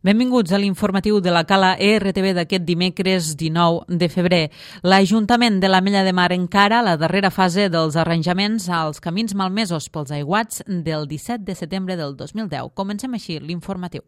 Benvinguts a l'informatiu de la Cala ERTV d'aquest dimecres 19 de febrer. L'Ajuntament de l'Ametlla de Mar encara la darrera fase dels arranjaments als camins malmesos pels aiguats del 17 de setembre del 2010. Comencem així l'informatiu.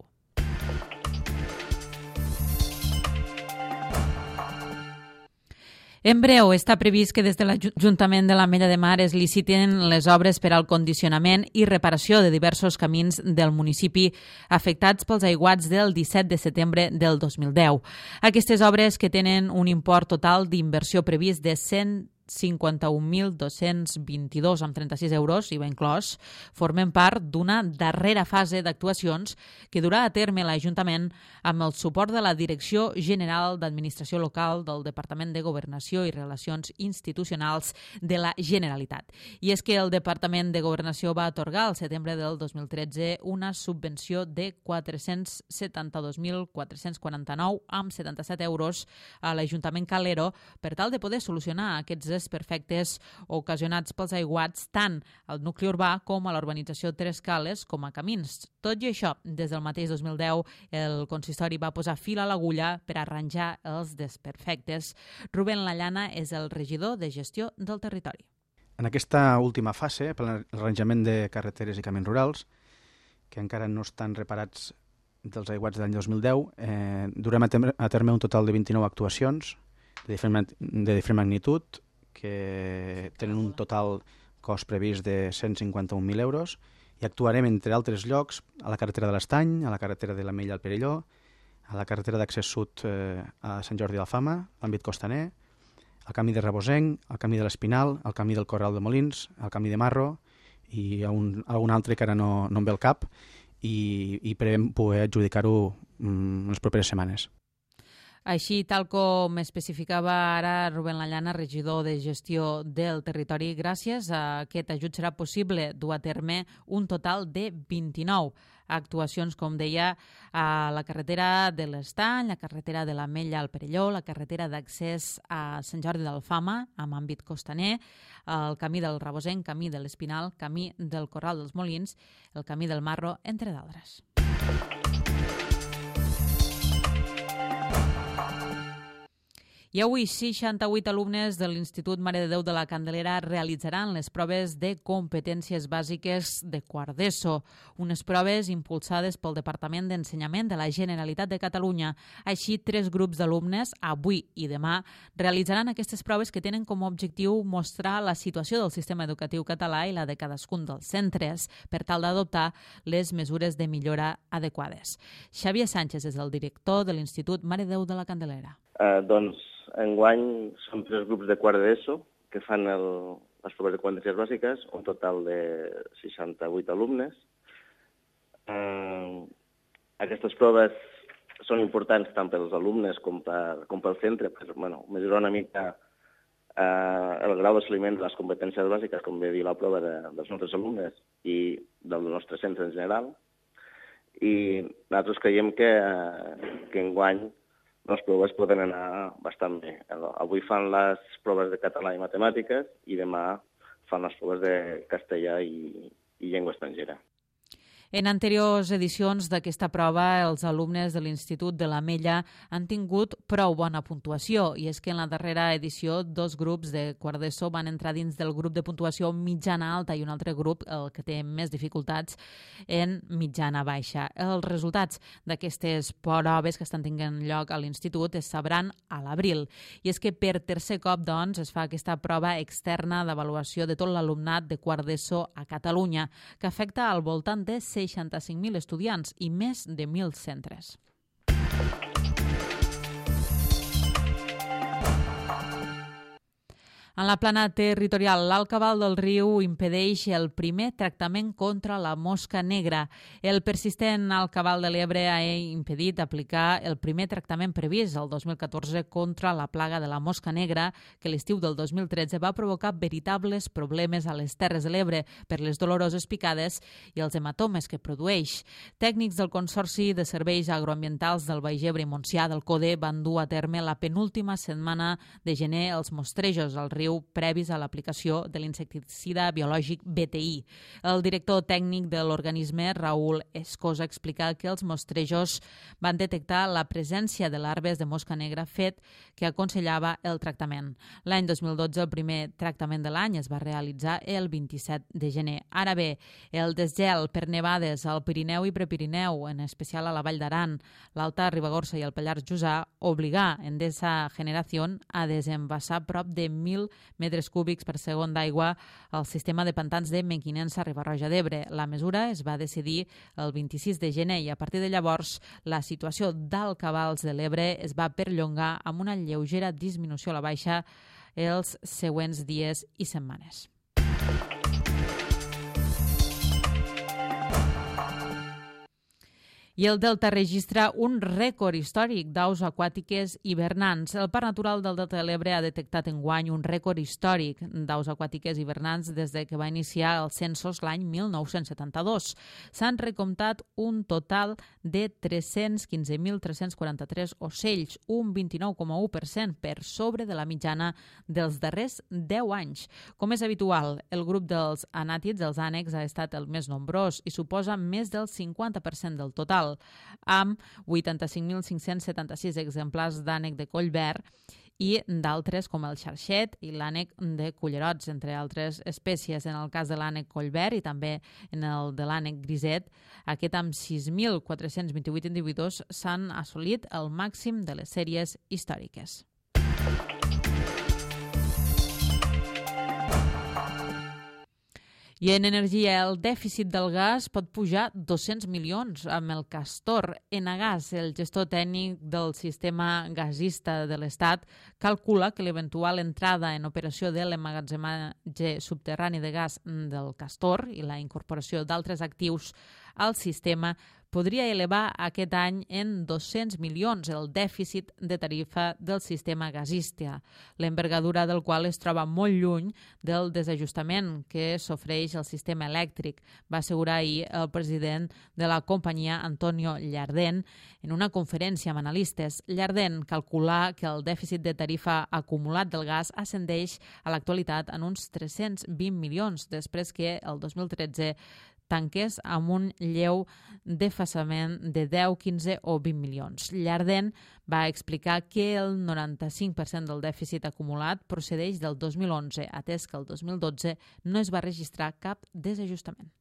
En breu, està previst que des de l'Ajuntament de l'Ametlla de Mar es liciten les obres per al condicionament i reparació de diversos camins del municipi afectats pels aiguats del 17 de setembre del 2010. Aquestes obres, que tenen un import total d'inversió previst de 151.222,36 euros, IVA inclòs, formen part d'una darrera fase d'actuacions que durà a terme l'Ajuntament amb el suport de la Direcció General d'Administració Local del Departament de Governació i Relacions Institucionals de la Generalitat. I és que el Departament de Governació va atorgar al setembre del 2013 una subvenció de 472.449,77 euros a l'Ajuntament Calero per tal de poder solucionar aquests desperfectes ocasionats pels aiguats tant al nucli urbà com a l'urbanització Tres Cales com a camins. Tot i això, des del mateix 2010, el consistori va posar fil a l'agulla per arranjar els desperfectes. Rubén Lallana és el regidor de gestió del territori. En aquesta última fase, per l'arranjament de carreteres i camins rurals, que encara no estan reparats dels aiguats de l'any 2010, durem a terme un total de 29 actuacions de diferent magnitud, que tenen un total cost previst de 151.000 euros i actuarem, entre altres llocs, a la carretera de l'Estany, a la carretera de l'Ametlla al Perelló, a la carretera d'accés sud a Sant Jordi d'Alfama, l'àmbit costaner, al camí de Rebosenc, al camí de l'Espinal, al camí del Corral de Molins, al camí de Marro i algun altre que ara no em ve al cap i prevem poder adjudicar-ho en les properes setmanes. Així, tal com especificava ara Rubén Lallana, regidor de gestió del territori, gràcies a aquest ajut serà possible dur a terme un total de 29 actuacions, com deia, a la carretera de l'Estany, la carretera de l'Ametlla al Perelló, la carretera d'accés a Sant Jordi d'Alfama, amb àmbit costaner, el camí del Rebosenc, camí de l'Espinal, camí del Corral dels Molins, el camí del Marro, entre d'altres. I avui 68 alumnes de l'Institut Mare de Déu de la Candelera realitzaran les proves de competències bàsiques de quart d'ESO, unes proves impulsades pel Departament d'Ensenyament de la Generalitat de Catalunya. Així, 3 grups d'alumnes, avui i demà, realitzaran aquestes proves que tenen com a objectiu mostrar la situació del sistema educatiu català i la de cadascun dels centres, per tal d'adoptar les mesures de millora adequades. Xavier Sánchez és el director de l'Institut Mare de Déu de la Candelera. Enguany són 3 grups de quart d'ESO que fan les proves de competències bàsiques, un total de 68 alumnes. Aquestes proves són importants tant pels alumnes com pel centre, per mesurar una mica el grau d'assoliment de les competències bàsiques, com ve dir la prova dels nostres alumnes i del nostre centre en general. I nosaltres creiem que enguany les proves poden anar bastant bé. Avui fan les proves de català i matemàtiques i demà fan les proves de castellà i llengua estrangera. En anteriors edicions d'aquesta prova, els alumnes de l'Institut de l'Ametlla han tingut prou bona puntuació, i és que en la darrera edició 2 grups de quart d'ESO van entrar dins del grup de puntuació mitjana-alta i un altre grup, el que té més dificultats, en mitjana-baixa. Els resultats d'aquestes proves que estan tenint lloc a l'Institut es sabran a l'abril, i és que per tercer cop, doncs, es fa aquesta prova externa d'avaluació de tot l'alumnat de quart d'ESO a Catalunya, que afecta al voltant de 65.000 estudiants i més de 1.000 centres. En la plana territorial, l'Alt Cabal del Riu impedeix el primer tractament contra la mosca negra. El persistent Alt Cabal de l'Ebre ha impedit aplicar el primer tractament previst el 2014 contra la plaga de la mosca negra, que l'estiu del 2013 va provocar veritables problemes a les Terres de l'Ebre per les doloroses picades i els hematomes que produeix. Tècnics del Consorci de Serveis Agroambientals del Baix Ebre i Montsià del CODE van dur a terme la penúltima setmana de gener els mostrejos al riu riu previs a l'aplicació de l'insecticida biològic BTI. El director tècnic de l'organisme, Raúl Escosa, explica que els mostrejos van detectar la presència de larves de mosca negra, fet que aconsellava el tractament. L'any 2012, el primer tractament de l'any es va realitzar el 27 de gener. Ara bé, el desgel per nevades al Pirineu i Prepirineu, en especial a la Vall d'Aran, l'Alta Ribagorça i el Pallars Jussà, obligà Endesa Generación a desembassar prop de 1.000 metres cúbics per segon d'aigua al sistema de pantans de Mequinensa, Riba-roja d'Ebre. La mesura es va decidir el 26 de gener i a partir de llavors la situació d'alt cabals de l'Ebre es va perllongar amb una lleugera disminució a la baixa els següents dies i setmanes. I el Delta registra un rècord històric d'aus aquàtiques hivernants. El Parc Natural del Delta de l'Ebre ha detectat enguany un rècord històric d'aus aquàtiques hivernants des de que va iniciar els censos l'any 1972. S'han recomptat un total de 315.343 ocells, un 29,1% per sobre de la mitjana dels darrers 10 anys. Com és habitual, el grup dels anàtids, els ànecs, ha estat el més nombrós i suposa més del 50% del total, amb 85.576 exemplars d'ànec de coll verd i d'altres com el xarxet i l'ànec de cullerots, entre altres espècies. En el cas de l'ànec coll verd i també en el de l'ànec griset, aquest amb 6.428 individus s'han assolit el màxim de les sèries històriques. I en energia, el dèficit del gas pot pujar 200 milions amb el Castor. Enagas, el gestor tècnic del sistema gasista de l'Estat, calcula que l'eventual entrada en operació de l'emmagatzematge subterrani de gas del Castor i la incorporació d'altres actius al sistema podria elevar aquest any en 200 milions el dèficit de tarifa del sistema gasista, l'envergadura del qual es troba molt lluny del desajustament que s'ofereix al sistema elèctric, va assegurar ahir el president de la companyia, Antonio Llardén, en una conferència amb analistes. Llardén calcula que el dèficit de tarifa acumulat del gas ascendeix a l'actualitat en uns 320 milions, després que el 2013 tanques amb un lleu desfasament de 10, 15 o 20 milions. Llardén va explicar que el 95% del dèficit acumulat procedeix del 2011, atès que el 2012 no es va registrar cap desajustament.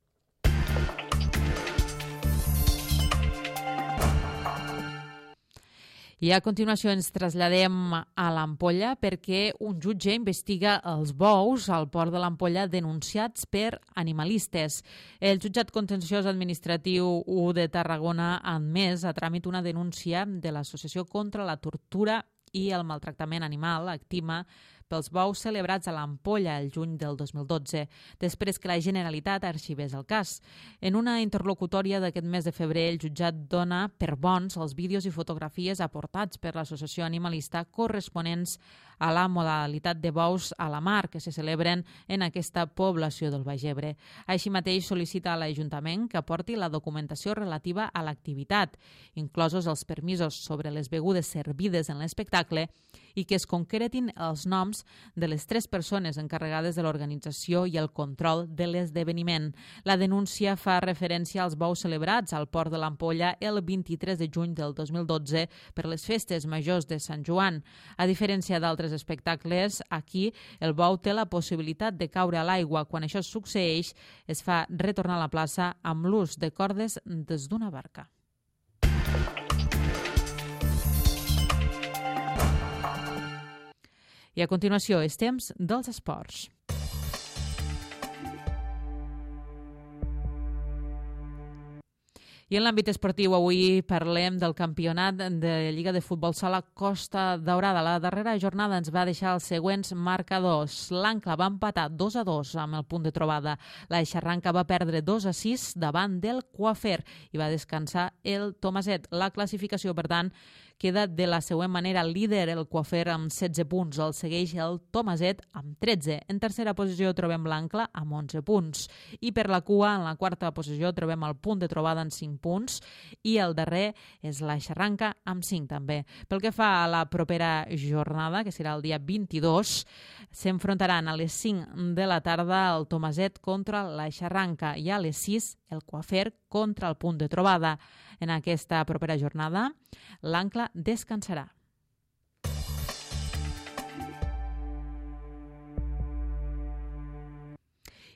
I a continuació ens traslladem a l'Ampolla perquè un jutge investiga els bous al port de l'Ampolla denunciats per animalistes. El jutjat contenciós administratiu 1 de Tarragona ha admès a tràmit una denúncia de l'Associació contra la Tortura i el Maltractament Animal, ACTIMA, pels bous celebrats a l'Ampolla el juny del 2012, després que la Generalitat arxivés el cas. En una interlocutòria d'aquest mes de febrer, el jutjat dona per bons els vídeos i fotografies aportats per l'associació animalista corresponents a la modalitat de bous a la mar que se celebren en aquesta població del Baix Ebre. Així mateix sol·licita a l'Ajuntament que aporti la documentació relativa a l'activitat, inclosos els permisos sobre les begudes servides en l'espectacle, i que es concretin els noms de les 3 persones encarregades de l'organització i el control de l'esdeveniment. La denúncia fa referència als bous celebrats al port de l'Ampolla el 23 de juny del 2012 per les festes majors de Sant Joan. A diferència d'altres espectacles, aquí el bou té la possibilitat de caure a l'aigua. Quan això succeeix, es fa retornar a la plaça amb l'ús de cordes des d'una barca. I a continuació, és temps dels esports. I en l'àmbit esportiu avui parlem del campionat de Lliga de Futbol Sala Costa Daurada. La darrera jornada ens va deixar els següents marcadors. L'Ancla va empatar 2-2 amb el punt de trobada. La Eixarranca va perdre 2-6 davant del Coafer i va descansar el Tomaset. La classificació, per tant, queda de la següent manera. Líder el Coafer amb 16 punts, el segueix el Tomaset amb 13. En tercera posició trobem l'Ancla amb 11 punts. I per la cua, en la quarta posició, trobem el Punt de Trobada amb 5 punts i el darrer és la Xarranca amb 5 també. Pel que fa a la propera jornada, que serà el dia 22, s'enfrontaran a les 5 de la tarda el Tomaset contra la Xarranca i a les 6 el Coafer contra el Punt de Trobada. En aquesta propera jornada, l'Ancla descansarà.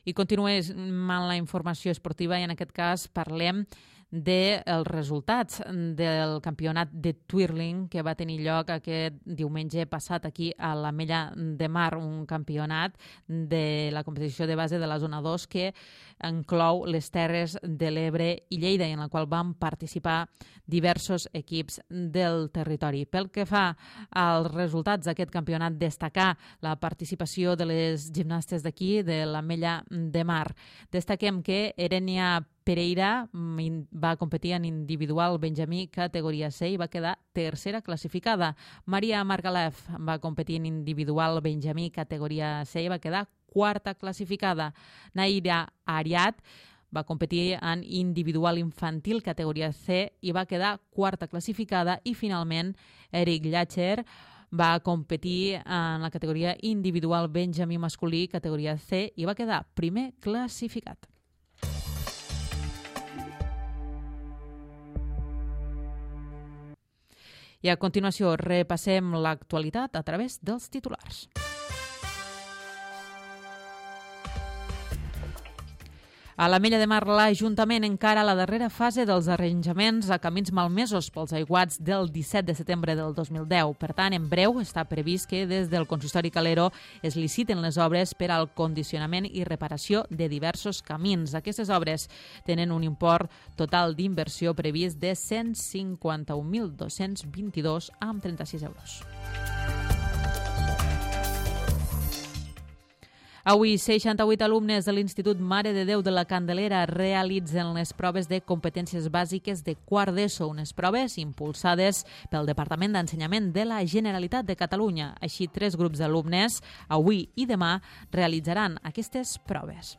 I continuem amb la informació esportiva i en aquest cas parlem dels resultats del campionat de twirling que va tenir lloc aquest diumenge passat aquí a l'Ametlla de Mar, un campionat de la competició de base de la zona 2 que inclou les Terres de l'Ebre i Lleida i en la qual van participar diversos equips del territori. Pel que fa als resultats d'aquest campionat, destacar la participació de les gimnastes d'aquí, de l'Ametlla de Mar. Destaquem que Erenia Pereira va competir en individual benjamí categoria C i va quedar tercera classificada. Maria Margalef va competir en individual benjamí categoria C i va quedar quarta classificada. Naira Ariat va competir en individual infantil categoria C i va quedar quarta classificada. I finalment Eric Llacher va competir en la categoria individual benjamí masculí categoria C i va quedar primer classificat. I a continuació repassem l'actualitat a través dels titulars. A l'Ametlla de Mar, l'Ajuntament encara la darrera fase dels arranjaments a camins malmesos pels aiguats del 17 de setembre del 2010. Per tant, en breu està previst que des del Consistori Calero es liciten les obres per al condicionament i reparació de diversos camins. Aquestes obres tenen un import total d'inversió previst de 151.222,36 euros. Avui, 68 alumnes de l'Institut Mare de Déu de la Candelera realitzen les proves de competències bàsiques de quart d'ESO, unes proves impulsades pel Departament d'Ensenyament de la Generalitat de Catalunya. Així, 3 grups d'alumnes, avui i demà, realitzaran aquestes proves.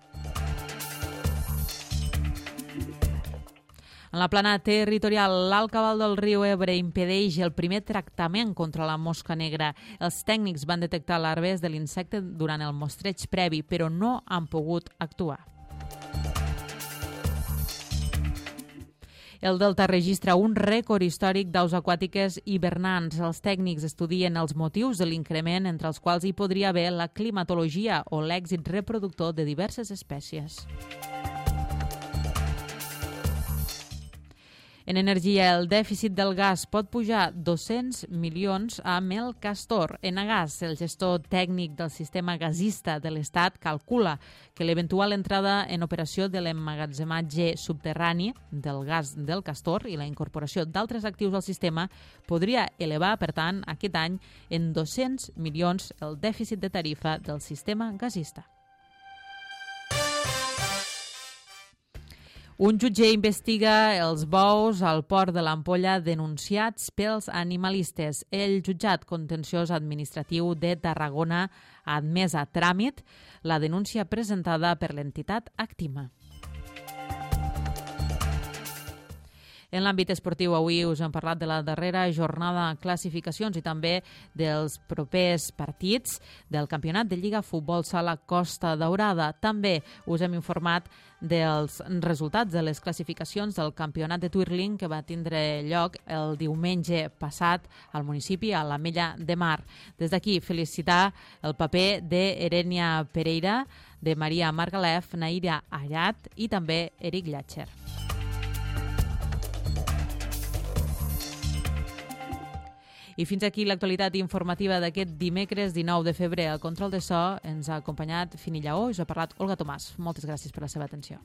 En la plana territorial, l'alt cabal del riu Ebre impedeix el primer tractament contra la mosca negra. Els tècnics van detectar larves de l'insecte durant el mostreig previ, però no han pogut actuar. El Delta registra un rècord històric d'aus aquàtiques hivernants. Els tècnics estudien els motius de l'increment, entre els quals hi podria haver la climatologia o l'èxit reproductor de diverses espècies. En energia, el dèficit del gas pot pujar 200 milions amb el Castor. Enagas, el gestor tècnic del sistema gasista de l'Estat, calcula que l'eventual entrada en operació de l'emmagatzematge subterrani del gas del Castor i la incorporació d'altres actius al sistema podria elevar, per tant, aquest any en 200 milions el dèficit de tarifa del sistema gasista. Un jutge investiga els bous al port de l'Ampolla denunciats pels animalistes. El jutjat contenciós administratiu de Tarragona ha admès a tràmit la denúncia presentada per l'entitat Actima. En l'àmbit esportiu, avui us hem parlat de la darrera jornada de classificacions i també dels propers partits del Campionat de Lliga Futbol Sala Costa Daurada. També us hem informat dels resultats de les classificacions del Campionat de Twirling que va tindre lloc el diumenge passat al municipi, a l'Ametlla de Mar. Des d'aquí, felicitar el paper d'Erenia Pereira, de Maria Margalef, Naira Ariat i també Eric Llacher. I fins aquí l'actualitat informativa d'aquest dimecres 19 de febrer. Al control de so ens ha acompanyat Fini Lleó i us ha parlat Olga Tomàs. Moltes gràcies per la seva atenció.